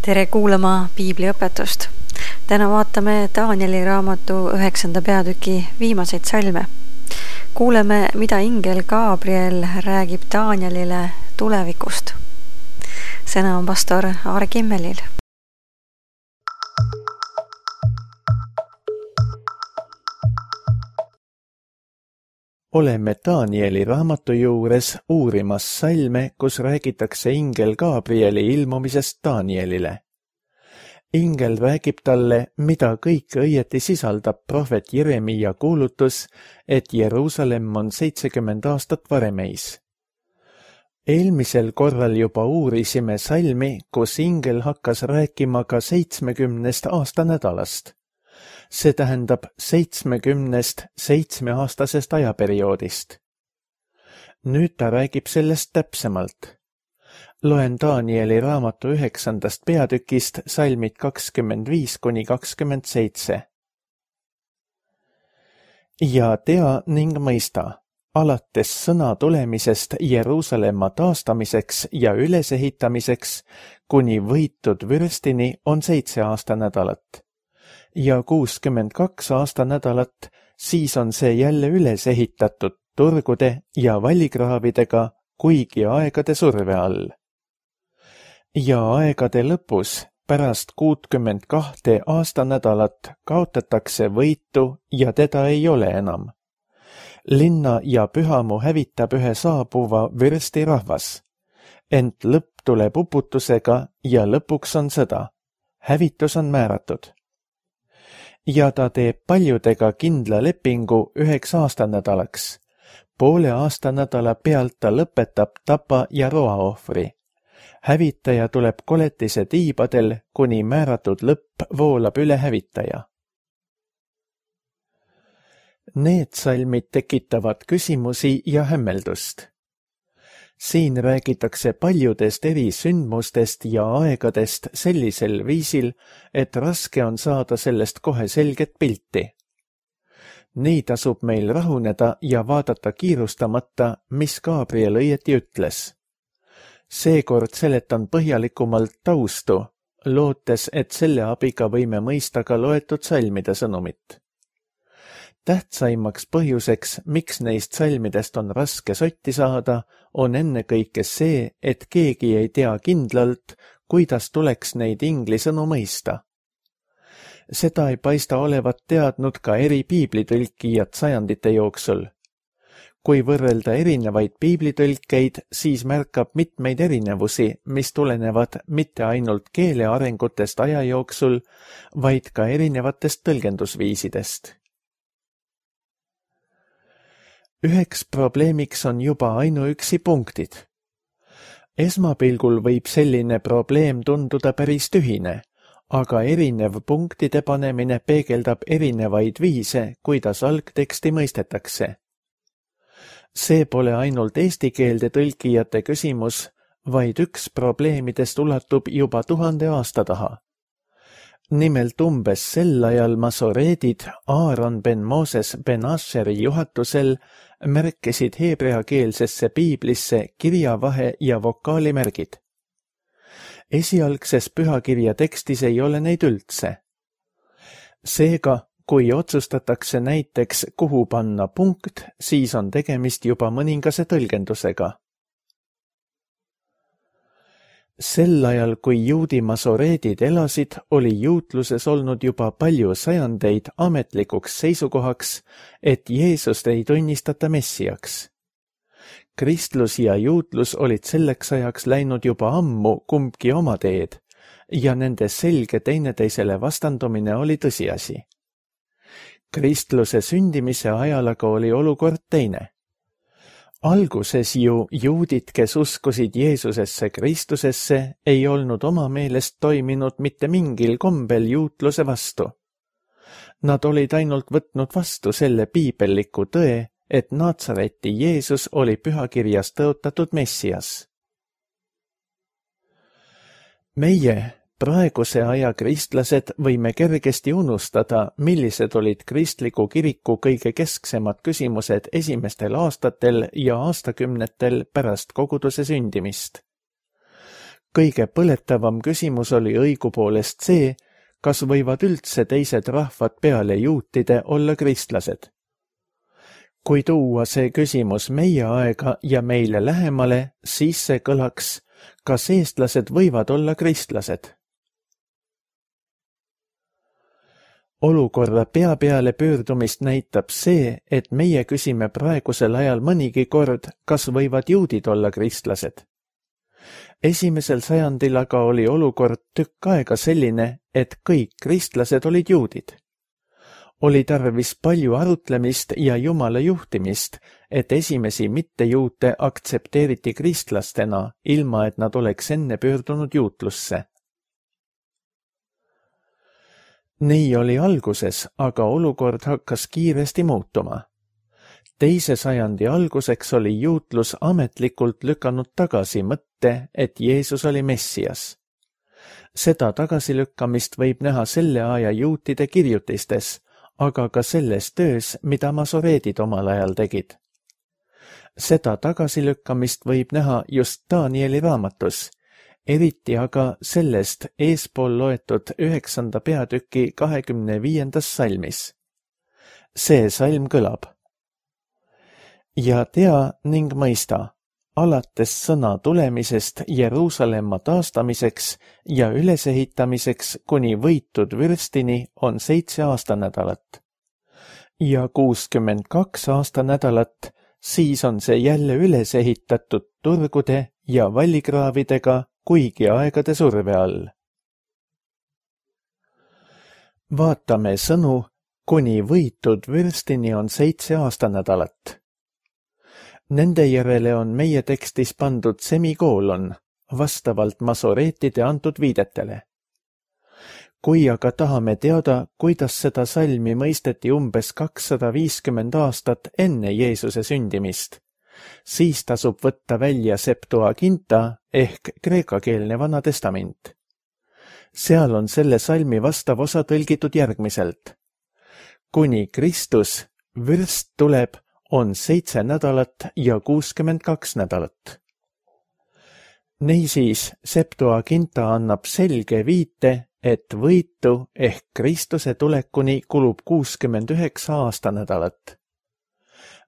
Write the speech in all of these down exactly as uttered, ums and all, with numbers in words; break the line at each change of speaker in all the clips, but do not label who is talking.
Tere kuulama piibliõpetust. Täna vaatame Danieli raamatu üheksanda peatüki viimaseid salme. Kuuleme, mida ingel Gabriel räägib Danielile tulevikust. Sõna on pastor Aare Kimmelil.
Oleme Danieli raamatu juures uurimas salme, kus räägitakse ingel Gabrieli ilmumisest Danielile. Ingel räägib talle, mida kõik õieti sisaldab prohvet Jeremiia kuulutus, et Jeruusalemm on seitsekümmend aastat varemeis. Eelmisel korral juba uurisime salmi, kus ingel hakkas rääkima ka seitsmekümnest aastanädalast. See tähendab seitsmekümnest seitsmeaastasest ajaperioodist. Nüüd ta räägib sellest täpsemalt. Loen Danieli raamatu üheksandast peatükist salmid kakskümmend viis kuni kakskümmend seitse. Ja tea ning mõista, alates sõna tulemisest Jeruusalemma taastamiseks ja ülesehitamiseks kuni võitud vürstini on seitse aastanädalat. Ja kuuskümmend kaks aastanädalat, siis on see jälle üles ehitatud turgude ja vallikraavidega, kuigi aegade surve all. Ja aegade lõpus, pärast kuutkümmend kahte aastanädalat, kaotatakse võitu ja teda ei ole enam. Linna ja pühamu hävitab ühe saabuva vürsti rahvas. Ent lõpp tuleb uputusega ja lõpuks on sõda. Hävitus on määratud. Ja ta teeb paljudega kindla lepingu üheks aastanädalaks. Poole aastanädala pealt ta lõpetab tapa ja roaohvri. Hävitaja tuleb koletise tiibadel, kuni määratud lõpp voolab üle hävitaja. Need salmid tekitavad küsimusi ja hämmeldust. Siin räägitakse paljudest eri sündmustest ja aegadest sellisel viisil, et raske on saada sellest kohe selget pilti. Nii tasub meil rahuneda ja vaadata kiirustamata, mis Gabriel õieti ütles. Seekord seletan põhjalikumalt taustu, lootes, et selle abiga võime mõista ka loetud salmide sõnumit. Tähtsaimaks põhjuseks, miks neist salmidest on raske sotti saada, on ennekõike see, et keegi ei tea kindlalt, kuidas tuleks neid ingli sõnu mõista. Seda ei paista olevat teadnud ka eri piiblitõlkijad sajandite jooksul. Kui võrrelda erinevaid piiblitõlkeid, siis märkab mitmeid erinevusi, mis tulenevad mitte ainult keele arengutest aja jooksul, vaid ka erinevatest tõlgendusviisidest. Üheks probleemiks on juba ainuüksi punktid. Esmapilgul võib selline probleem tunduda päris tühine, aga erinev punktide panemine peegeldab erinevaid viise, kuidas algteksti mõistetakse. See pole ainult eesti keelde tõlkijate küsimus, vaid üks probleemidest ulatub juba tuhande aasta taha. Nimelt umbes sel ajal masoreedid Aaron ben Moses ben Asheri juhatusel märkisid heebreakeelsesse piiblisse kirjavahe ja vokaalimärgid. Esialgses pühakirja tekstis ei ole neid üldse. Seega, kui otsustatakse näiteks kuhu panna punkt, siis on tegemist juba mõningase tõlgendusega. Sel ajal, kui juudi masoreedid elasid, oli juutluses olnud juba palju sajandeid ametlikuks seisukohaks, et Jeesust ei tunnistata messiaks. Kristlus ja juutlus olid selleks ajaks läinud juba ammu kumbki oma teed ja nende selge teineteisele vastandumine oli tõsiasi. Kristluse sündimise ajal aga oli olukord teine. Alguses ju juudid, kes uskusid Jeesusesse Kristusesse, ei olnud oma meelest toiminud mitte mingil kombel juutluse vastu. Nad olid ainult võtnud vastu selle piibelliku tõe, et Natsareti Jeesus oli pühakirjas tõotatud messias. Meie, praeguse aja kristlased, võime kergesti unustada, millised olid kristliku kiriku kõige kesksemad küsimused esimestel aastatel ja aastakümnetel pärast koguduse sündimist. kõige põletavam küsimus oli õigupoolest see, kas võivad üldse teised rahvad peale juutide olla kristlased. Kui tuua see küsimus meie aega ja meile lähemale, siis see kõlaks, kas eestlased võivad olla kristlased? Olukorra pea peale pöördumist näitab see, et meie küsime praegusel ajal mõnigi kord, kas võivad juudid olla kristlased. Esimesel sajandil aga oli olukord tükk aega selline, et kõik kristlased olid juudid. Oli tarvis palju arutlemist ja Jumala juhtimist, et esimesi mittejuute aktsepteeriti kristlastena, ilma et nad oleks enne pöördunud juutlusse. Nii oli alguses, aga olukord hakkas kiiresti muutuma. Teise sajandi alguseks oli juutlus ametlikult lükanud tagasi mõtte, et Jeesus oli Messias. Seda tagasilükkamist võib näha selle aja juutide kirjutistes, aga ka selles töös, mida masoreedid omal ajal tegid. Seda tagasilükkamist võib näha just Danieli raamatus, eriti aga sellest eespool loetud üheksanda peatüki kahekümne viiendas salmis. See salm kõlab. Ja tea ning mõista, alates sõna tulemisest Jeruusalemma taastamiseks ja ülesehitamiseks kuni võitud vürstini on seitse aastanädalat. Ja kuuskümmend kaks aastanädalat, siis on see jälle üles ehitatud turgude ja vallikraavidega, kuigi aegade surve all. Vaatame sõnu, kuni võitud vürstini on seitse aastanädalat. Nende järele on meie tekstis pandud semikoolon, vastavalt masoreetide antud viidetele. Kui aga tahame teada, kuidas seda salmi mõisteti umbes kakssada viiskümmend aastat enne Jeesuse sündimist, siis tasub võtta välja Septuaginta ehk kreekakeelne Vana Testament. Seal on selle salmi vastav osa tõlgitud järgmiselt. Kuni Kristus, vürst tuleb, on seitse nädalat ja kuuskümmend kaks nädalat. Niisiis, Septuaginta annab selge viite, et võitu ehk Kristuse tulekuni kulub kuuskümmend üheksa aastanädalat.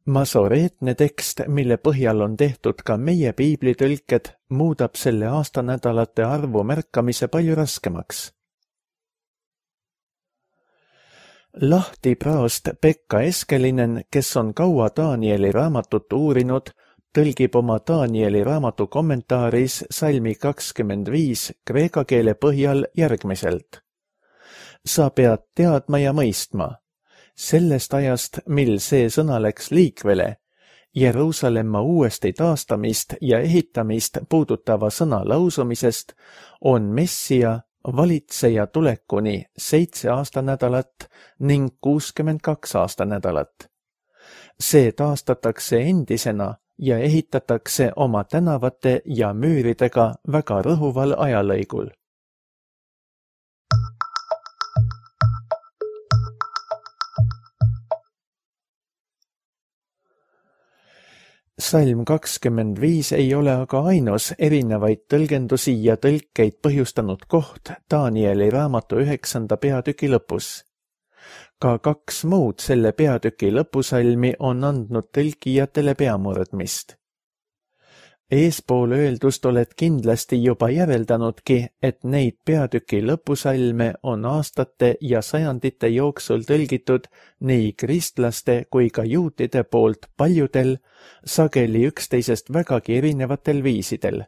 Masoreetne tekst, mille põhjal on tehtud ka meie piiblitõlked, muudab selle aastanädalate arvu märkamise palju raskemaks. Lahti praost Pekka Eskelinen, kes on kaua Danieli raamatut uurinud, tõlgib oma Danieli raamatu kommentaaris salmi kakskümmend viis kreeka keele põhjal järgmiselt. Sa pead teadma ja mõistma. Sellest ajast, mil see sõna läks liikvele, Jeruusalemma uuesti taastamist ja ehitamist puudutava sõna lausumisest, on Messia valitseja tulekuni seitse aastanädalat ning kuuskümmend kaks aastanädalat. See taastatakse endisena ja ehitatakse oma tänavate ja müüridega väga rõhuval ajalõigul. Salm kakskümmend viis ei ole aga ainus erinevaid tõlgendusi ja tõlkeid põhjustanud koht Danieli raamatu üheksanda peatüki lõpus. Ka kaks muud selle peatüki lõpusalmi on andnud tõlkijatele peamurdmist. Eespool öeldust oled kindlasti juba järeldanudki, et neid peatüki lõpusalme on aastate ja sajandite jooksul tõlgitud nii kristlaste kui ka juutide poolt paljudel, sageli üksteisest vägagi erinevatel viisidel.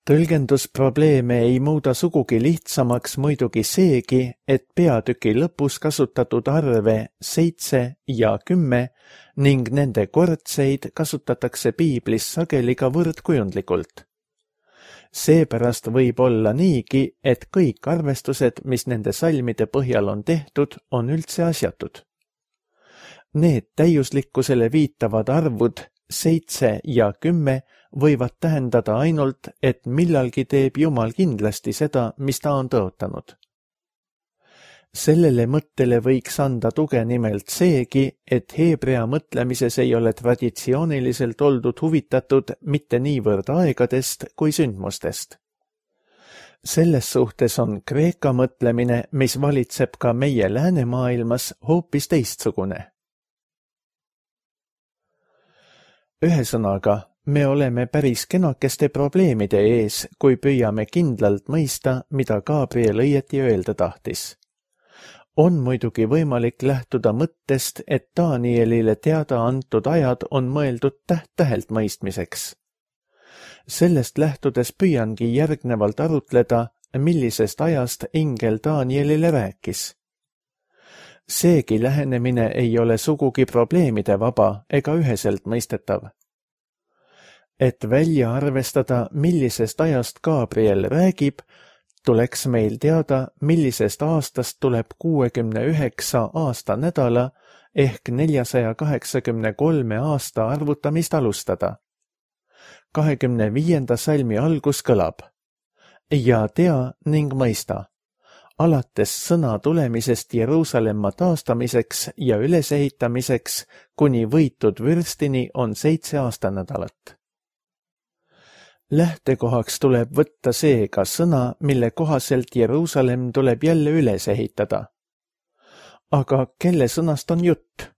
Tõlgendusprobleeme ei muuda sugugi lihtsamaks muidugi seegi, et peatüki lõpus kasutatud arve seitse ja kümme ning nende kordseid kasutatakse piiblis sageli ka võrdkujundlikult. Seepärast võib olla niigi, et kõik arvestused, mis nende salmide põhjal on tehtud, on üldse asjatud. Need täiuslikkusele viitavad arvud seitse ja kümme võivad tähendada ainult, et millalgi teeb Jumal kindlasti seda, mis ta on tõotanud. Sellele mõttele võiks anda tuge nimelt seegi, et heebrea mõtlemises ei ole traditsiooniliselt oldud huvitatud mitte niivõrd aegadest kui sündmustest. Selles suhtes on Kreeka mõtlemine, mis valitseb ka meie läänemaailmas, hoopis teistsugune. Ühesõnaga, me oleme päris kenakeste probleemide ees, kui püüame kindlalt mõista, mida Gabriel õieti öelda tahtis. On muidugi võimalik lähtuda mõttest, et Danielile teada antud ajad on mõeldud täht-tähelt mõistmiseks. Sellest lähtudes püüangi järgnevalt arutleda, millisest ajast ingel Danielile rääkis. Seegi lähenemine ei ole sugugi probleemide vaba ega üheselt mõistetav. Et välja arvestada, millisest ajast Gabriel räägib, tuleks meil teada, millisest aastast tuleb kuuekümne üheksa aasta nädala ehk neljasaja kaheksakümne kolme aasta arvutamist alustada. kahekümne viienda salmi algus kõlab. Ja tea ning mõista. Alates sõna tulemisest Jeruusalemma taastamiseks ja ülesehitamiseks kuni võitud vürstini on seitse aastanädalat. Lähtekohaks tuleb võtta seega sõna, mille kohaselt Jeruusalemm tuleb jälle üles ehitada. Aga kelle sõnast on jutt?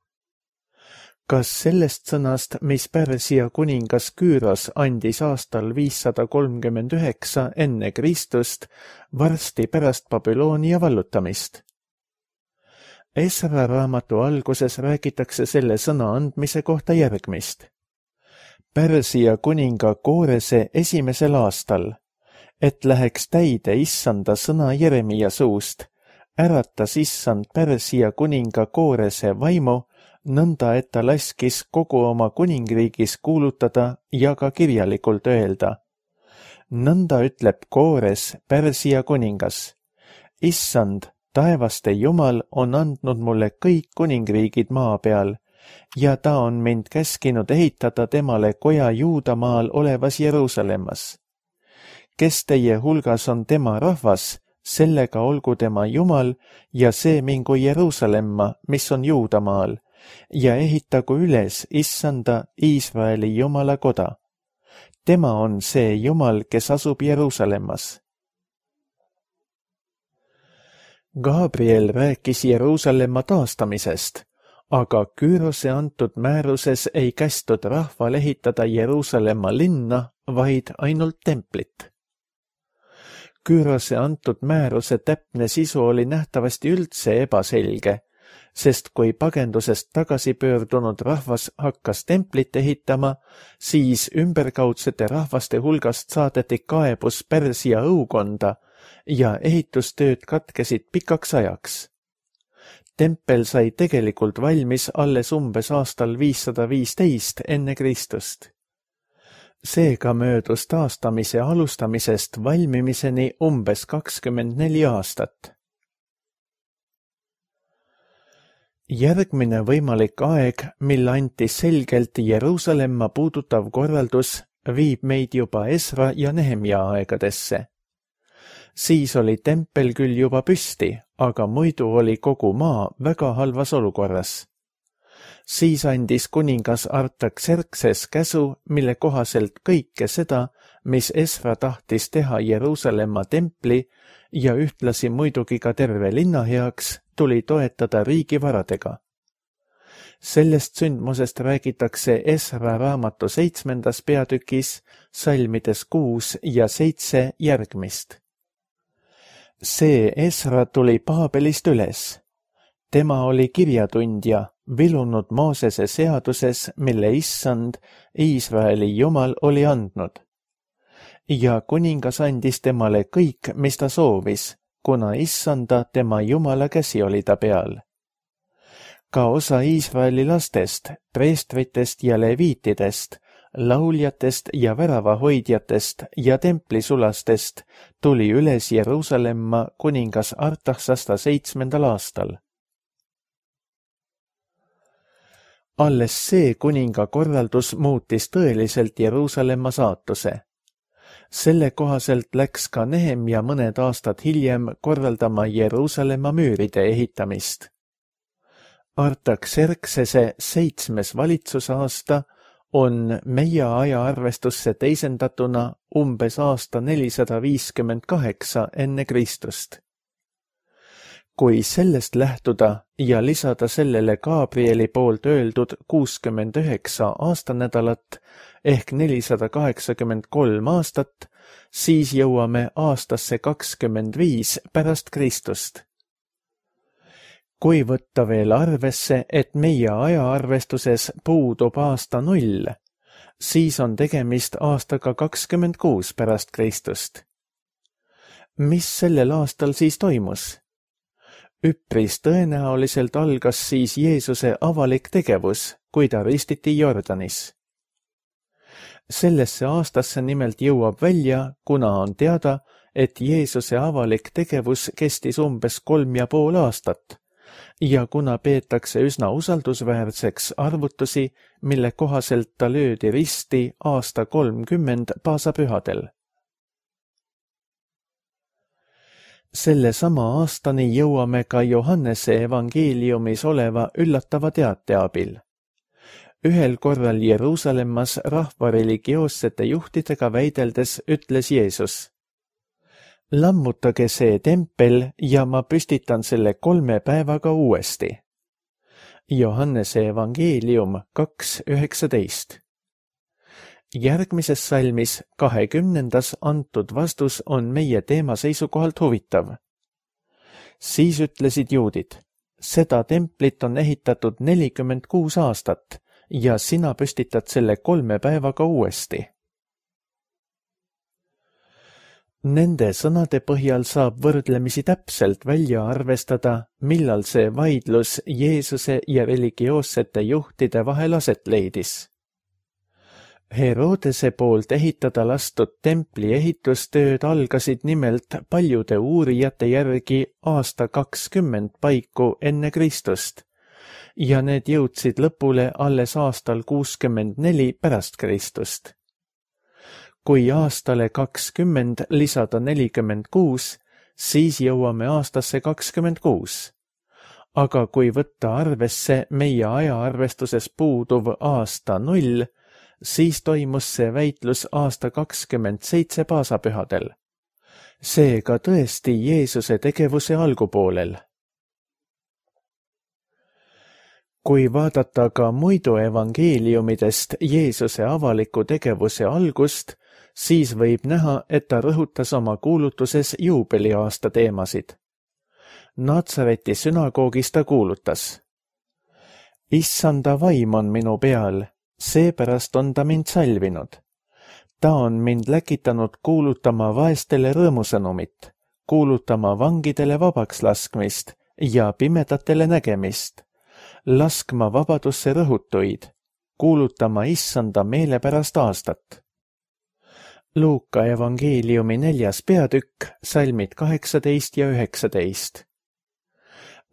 Kas sellest sõnast, mis Pärsia kuningas Küüros andis aastal viissada kolmkümmend üheksa enne Kristust, varsti pärast Babyloonia vallutamist? Esra raamatu alguses räägitakse selle sõna andmise kohta järgmist. Pärsia kuninga Koorese esimesel aastal, et läheks täide issanda sõna Jeremia suust, äratas issand Pärsia kuninga Koorese vaimu, nõnda et ta laskis kogu oma kuningriigis kuulutada ja ka kirjalikult öelda. Nõnda ütleb Koores, Pärsia kuningas. Issand, taevaste Jumal on andnud mulle kõik kuningriigid maa peal, ja ta on mind käskinud ehitada temale koja Juudamaal olevas Jeruusalemmas. Kes teie hulgas on tema rahvas, sellega olgu tema Jumal ja see mingu Jeruusalemma, mis on Juudamaal, ja ehitagu üles issanda Iisraeli Jumala koda. Tema on see Jumal, kes asub Jeruusalemmas. Gabriel rääkis Jeruusalemma taastamisest, aga Küürose antud määruses ei kästud rahval ehitada Jeruusalemma linna, vaid ainult templit. Küürose antud määruse täpne sisu oli nähtavasti üldse ebaselge, sest kui pagendusest tagasi pöördunud rahvas hakkas templit ehitama, siis ümberkaudsete rahvaste hulgast saadeti kaebus Pärsia õukonda ja ehitustööd katkesid pikaks ajaks. Tempel sai tegelikult valmis alles umbes aastal viissada viisteist enne Kristust. Seega möödus taastamise alustamisest valmimiseni umbes kakskümmend neli aastat. Järgmine võimalik aeg, mil anti selgelt Jeruusalemma puudutav korraldus, viib meid juba Esra ja Nehemia aegadesse. Siis oli tempel küll juba püsti, aga muidu oli kogu maa väga halvas olukorras. Siis andis kuningas Artaxerxes käsu, mille kohaselt kõike seda, mis Esra tahtis teha Jeruusalemma templi ja ühtlasi muidugi ka terve linna heaks, tuli toetada riigivaradega. Sellest sündmusest räägitakse Esra raamatu seitsmendas peatükis, salmides kuus ja seitse järgmist. See Esra tuli Paabelist üles. Tema oli kirjatundja, vilunud Moosese seaduses, mille issand, Iisraeli Jumal oli andnud. Ja kuningas andis temale kõik, mis ta soovis, kuna issanda tema Jumala käsi oli ta peal. Ka osa Iisraeli lastest, preestritest ja leviitidest, lauljatest ja väravahoidjatest ja templisulastest tuli üles Jeruusalemma kuningas Artaxasta seitsmendal aastal. Alles see kuninga korraldus muutis tõeliselt Jeruusalemma saatuse. Selle kohaselt läks ka Nehemja mõned aastad hiljem korraldama Jeruusalemma müüride ehitamist. Artaxerxese seitsmes valitsusaasta on meie ajaarvestusse teisendatuna umbes aasta nelisada viiskümmend kaheksa enne Kristust. Kui sellest lähtuda ja lisada sellele Gabrieli poolt öeldud kuuskümmend üheksa aastanädalat ehk nelisada kaheksakümmend kolm aastat, siis jõuame aastasse kakskümmend viis pärast Kristust. Kui võtta veel arvesse, et meie ajaarvestuses puudub aasta null, siis on tegemist aastaga kakskümmend kuus pärast Kristust. Mis sellel aastal siis toimus? Üpris tõenäoliselt algas siis Jeesuse avalik tegevus, kui ta ristiti Jordanis. Sellesse aastasse nimelt jõuab välja, kuna on teada, et Jeesuse avalik tegevus kestis umbes kolm ja pool aastat ja kuna peetakse üsna usaldusväärseks arvutusi, mille kohaselt ta löödi risti aasta kolmkümmend paasapühadel. Selle sama aastani jõuame ka Johannese evangeeliumis oleva üllatava teate abil. Ühel korral Jeruusalemmas rahva religioossete juhtidega väideldes ütles Jeesus: lammutage see tempel ja ma püstitan selle kolme päevaga uuesti. Johannese evangeelium kaks üheksateist. Järgmises salmis kahekümnendas antud vastus on meie teema seisukohalt huvitav. Siis ütlesid juudid: seda templit on ehitatud nelikümmend kuus aastat ja sina püstitad selle kolme päevaga uuesti. Nende sõnade põhjal saab võrdlemisi täpselt välja arvestada, millal see vaidlus Jeesuse ja religioossete juhtide vahel aset leidis. Herodese poolt ehitada lastud templi ehitustööd algasid nimelt paljude uurijate järgi aasta kakskümmend paiku enne Kristust ja need jõudsid lõpule alles aastal kuuskümmend neli pärast Kristust. Kui aastale kakskümmend lisada nelikümmend kuus, siis jõuame aastasse kakskümmend kuus. Aga kui võtta arvesse meie ajaarvestuses puuduv aasta null, siis toimus see väitlus aasta kakskümmend seitse paasapühadel. Seega tõesti Jeesuse tegevuse algupoolel. Kui vaadata ka muidu evangeeliumidest Jeesuse avaliku tegevuse algust, siis võib näha, et ta rõhutas oma kuulutuses juubeliaasta teemasid. Natsareti sünagoogis ta kuulutas: Issanda vaim on minu peal, seepärast on ta mind salvinud. Ta on mind läkitanud kuulutama vaestele rõõmusõnumit, kuulutama vangidele vabaks laskmist ja pimedatele nägemist, laskma vabadusse rõhutuid, kuulutama Issanda meelepärast aastat. Luuka evangeeliumi neljas peatükk, salmid kaheksateist ja üheksateist.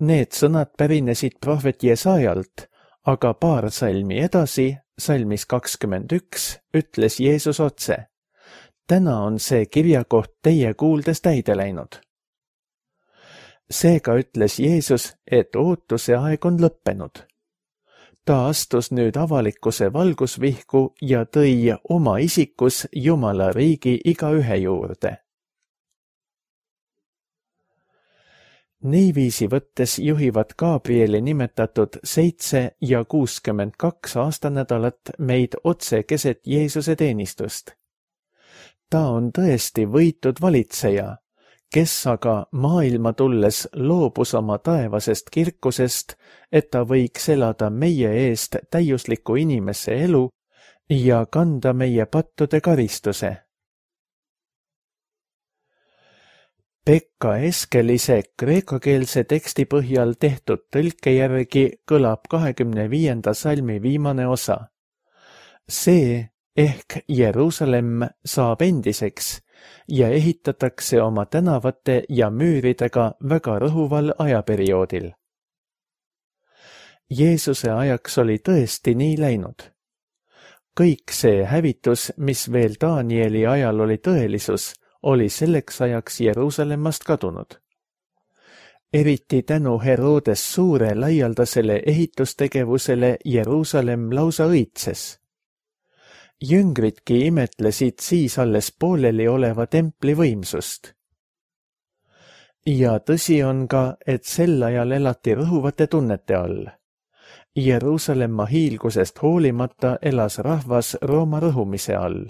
Need sõnad pärinesid prohvet Jesajalt, aga paar salmi edasi, salmis kakskümmend üks, ütles Jeesus otse: täna on see kirjakoht teie kuuldes täide läinud. Seega ütles Jeesus, et ootuse aeg on lõppenud. Ta astus nüüd avalikkuse valgusvihku ja tõi oma isikus Jumala riigi igaühe juurde. Niiviisi võttes juhivad Gabrieli nimetatud seitse ja kuuskümmend kaks aastanädalat meid otse keset Jeesuse teenistust. Ta on tõesti võitud valitseja, kes aga maailma tulles loobus oma taevasest kirkusest, et ta võiks elada meie eest täiusliku inimese elu ja kanda meie pattude karistuse. Pekka Eskelise kreekakeelse teksti põhjal tehtud tõlke järgi kõlab kahekümne viienda salmi viimane osa. See ehk Jeruusalemm saab endiseks ja ehitatakse oma tänavate ja müüridega väga rõhuval ajaperioodil. Jeesuse ajaks oli tõesti nii läinud. kõik see hävitus, mis veel Danieli ajal oli tõelisus, oli selleks ajaks Jeruusalemmast kadunud. Eriti tänu Herodes suure laialdasele ehitustegevusele Jeruusalemm lausa õitses. Jüngridki imetlesid siis alles pooleli oleva templi võimsust. Ja tõsi on ka, et sel ajal elati rõhuvate tunnete all. Jeruusalemma hiilgusest hoolimata elas rahvas Rooma rõhumise all.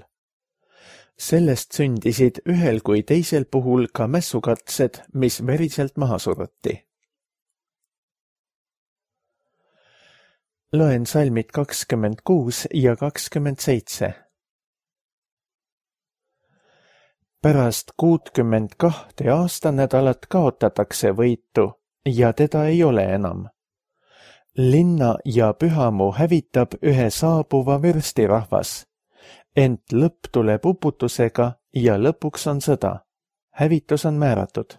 Sellest sündisid ühel kui teisel puhul ka mässukatsed, mis veriselt maha suruti. Loen salmid kakskümmend kuus ja kakskümmend seitse. Pärast kuutkümmend kahte aastanädalat kaotatakse võitu ja teda ei ole enam. Linna ja pühamu hävitab ühe saabuva võrstirahvas, ent lõpp tuleb uputusega ja lõpuks on sõda. Hävitus on määratud.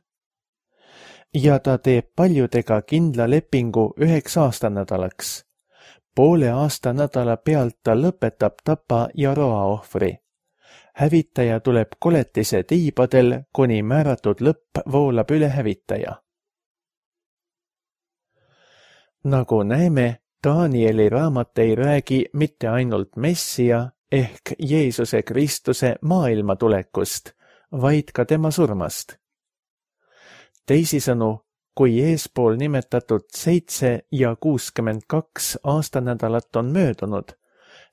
Ja ta teeb paljudega kindla lepingu üheks aastanädalaks. Poole aastanädala pealt ta lõpetab tapa ja roa ohvri. Hävitaja tuleb koletise tiibadel, kuni määratud lõpp voolab üle hävitaja. Nagu näeme, Danieli raamat ei räägi mitte ainult Messia ehk Jeesuse Kristuse maailma tulekust, vaid ka tema surmast. Teisisõnu, kui eespool nimetatud seitse ja kuuskümmend kaks aastanädalat on möödunud,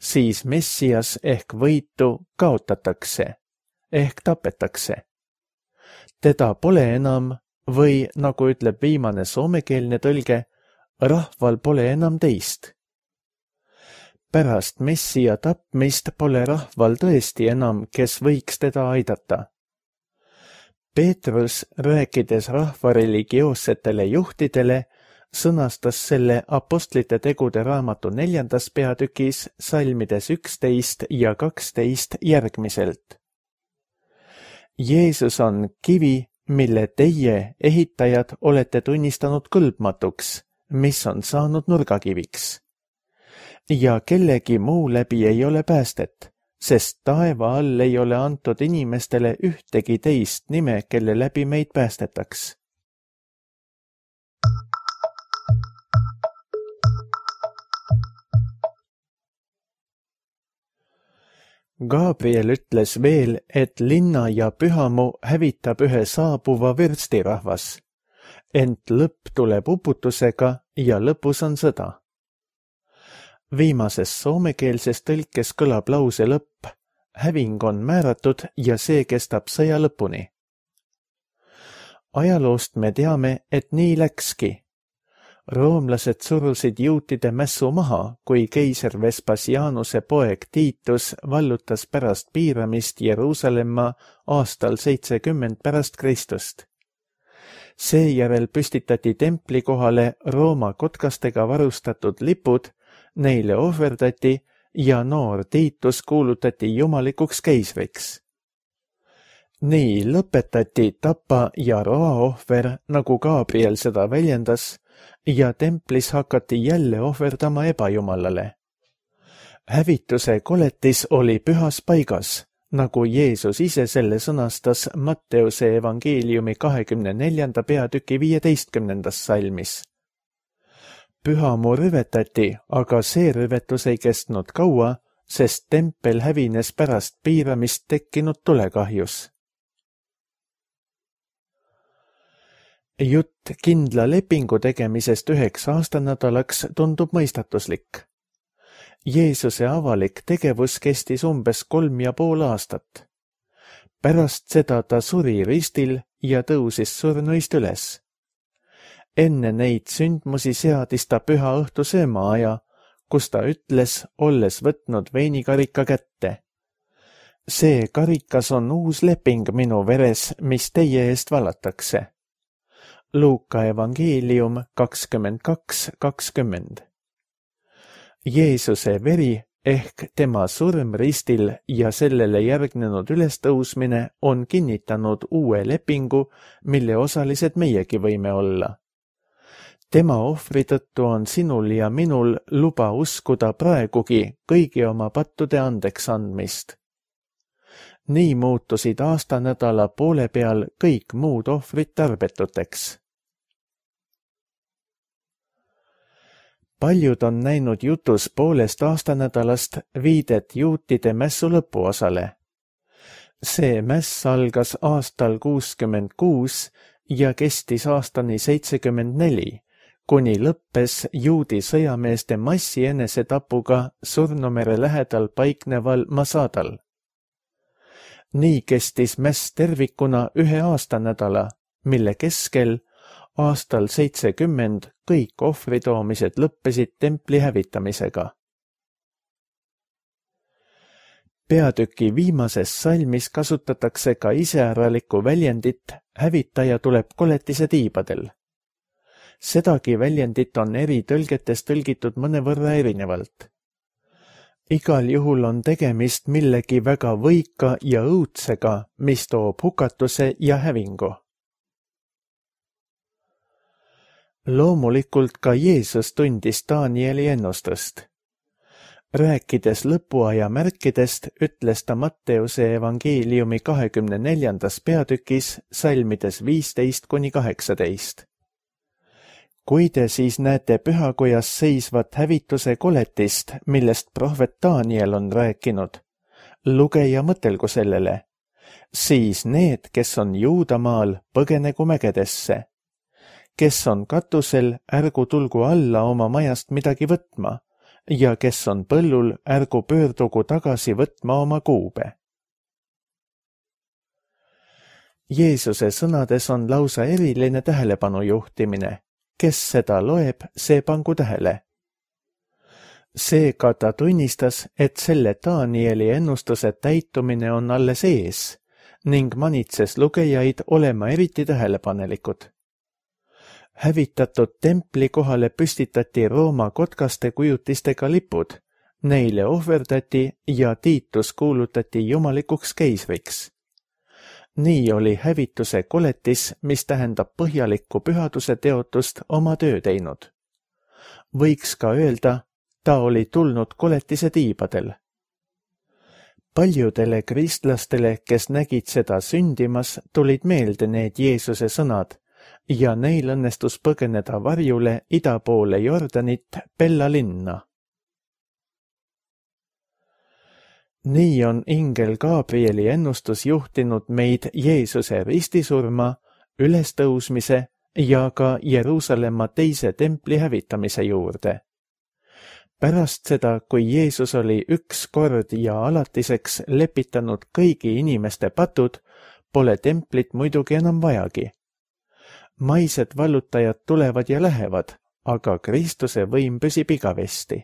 siis Messias ehk võitu kaotatakse, ehk tapetakse. Teda pole enam või, nagu ütleb viimane soomekeelne tõlge, rahval pole enam teist. Pärast Messia tapmist pole rahval tõesti enam, kes võiks teda aidata. Peetrus, rääkides rahva religioossetele juhtidele, sõnastas selle apostlite tegude raamatu neljandas peatükis salmides üksteist ja kaksteist järgmiselt. Jeesus on kivi, mille teie, ehitajad, olete tunnistanud kõlbmatuks, mis on saanud nurgakiviks. Ja kellegi muu läbi ei ole päästet, sest taeva all ei ole antud inimestele ühtegi teist nime, kelle läbi meid päästetaks. Gabriel ütles veel, et linna ja pühamu hävitab ühe saabuva võrstirahvas, ent lõpp tuleb uputusega ja lõpus on sõda. Viimases soomekeelses tõlkes kõlab lause lõpp, häving on määratud ja see kestab sõja lõpuni. Ajaloost me teame, et nii läkski. Roomlased surusid juutide mässu maha, kui keiser Vespasianuse poeg Tiitus vallutas pärast piiramist Jeruusalemma aastal seitsekümmend pärast Kristust. Seejärel püstitati templi kohale Rooma kotkastega varustatud lipud, neile ohverdati ja noor Tiitus kuulutati jumalikuks keisriks. Nii lõpetati tapa ja roa ohver, nagu Gabriel seda väljendas, ja templis hakati jälle ohverdama ebajumalale. Hävituse koletis oli pühas paigas, nagu Jeesus ise selle sõnastas Matteuse evangeeliumi kahekümne neljanda peatüki viieteistkümnendas salmis. Pühamu rüvetati, aga see rüvetus ei kestnud kaua, sest tempel hävines pärast piiramist tekkinud tulekahjus. Jutt kindla lepingu tegemisest üheks aastanädalaks tundub mõistatuslik. Jeesuse avalik tegevus kestis umbes kolm ja pool aastat. Pärast seda ta suri ristil ja tõusis surnuist üles. Enne neid sündmusi seadis ta püha õhtu söömaaja, kus ta ütles, olles võtnud veinikarika kätte. See karikas on uus leping minu veres, mis teie eest valatakse. Luuka evangeelium kakskümmend kaks kakskümmend. Jeesuse veri ehk tema surm ristil ja sellele järgnenud ülestõusmine on kinnitanud uue lepingu, mille osalised meiegi võime olla. tema ohvri tõttu on sinul ja minul luba uskuda praegugi kõigi oma pattude andeks andmist. Nii muutusid aastanädala poole peal kõik muud ohvrid tarbetuteks. Paljud on näinud jutus poolest aastanädalast viidet juutide mässu lõpuosale. See mäss algas aastal kuuskümmend kuus ja kestis aastani seitsekümmend neli, kuni lõppes juudi sõjameeste massi enesetapuga Surnumere lähedal paikneval Masadal. Nii kestis mäss tervikuna ühe aastanädala, mille keskel aastal seitsekümmend kõik ohvritoomised lõppesid templi hävitamisega. Peatüki viimases salmis kasutatakse ka iseäralikku väljendit hävitaja tuleb koletise tiibadel. Sedagi väljendit on eri tõlgetes tõlgitud mõnevõrra erinevalt. Igal juhul on tegemist millegi väga võika ja õudsega, mis toob hukatuse ja hävingu. Loomulikult ka Jeesus tundis Danieli ennustust. Rääkides lõpuaja märkidest, ütles ta Matteuse evangeeliumi kahekümne neljandas peatükis salmides viisteist kuni kaheksateist. Kui te siis näete pühakojas seisvat hävituse koletist, millest prohvet Daniel on rääkinud, luge ja mõtelgu sellele, siis need, kes on Juudamaal, põgenegu mägedesse. Kes on katusel, ärgu tulgu alla oma majast midagi võtma, ja kes on põllul, ärgu pöördugu tagasi võtma oma kuube. Jeesuse sõnades on lausa eriline tähelepanu juhtimine. Kes seda loeb, see pangu tähele. Seega ta tunnistas, et selle Danieli ennustuse täitumine on alles ees ning manitses lugejaid olema eriti tähelepanelikud. Hävitatud templi kohale püstitati Rooma kotkaste kujutistega lipud, neile ohverdati ja Tiitus kuulutati jumalikuks keisriks. Nii oli hävituse koletis, mis tähendab põhjalikku pühaduse teotust, oma töö teinud. Võiks ka öelda, ta oli tulnud koletise tiibadel. Paljudele kristlastele, kes nägid seda sündimas, tulid meelde need Jeesuse sõnad ja neil õnnestus põgeneda varjule ida poole Jordanit Pella linna. Nii on ingel Gabrieli ennustus juhtinud meid Jeesuse ristisurma, ülestõusmise ja ka Jeruusalemma teise templi hävitamise juurde. Pärast seda, kui Jeesus oli üks kord ja alatiseks lepitanud kõigi inimeste patud, pole templit muidugi enam vajagi. Maised vallutajad tulevad ja lähevad, aga Kristuse võim püsib igavesti.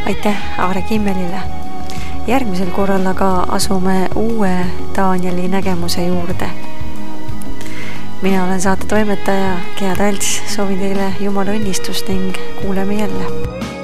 Aitäh Aare Kimmelile. Järgmisel korral aga asume uue Danieli nägemuse juurde. Mina olen saate toimetaja Gea Talts, soovin teile Jumala õnnistust ning kuuleme jälle.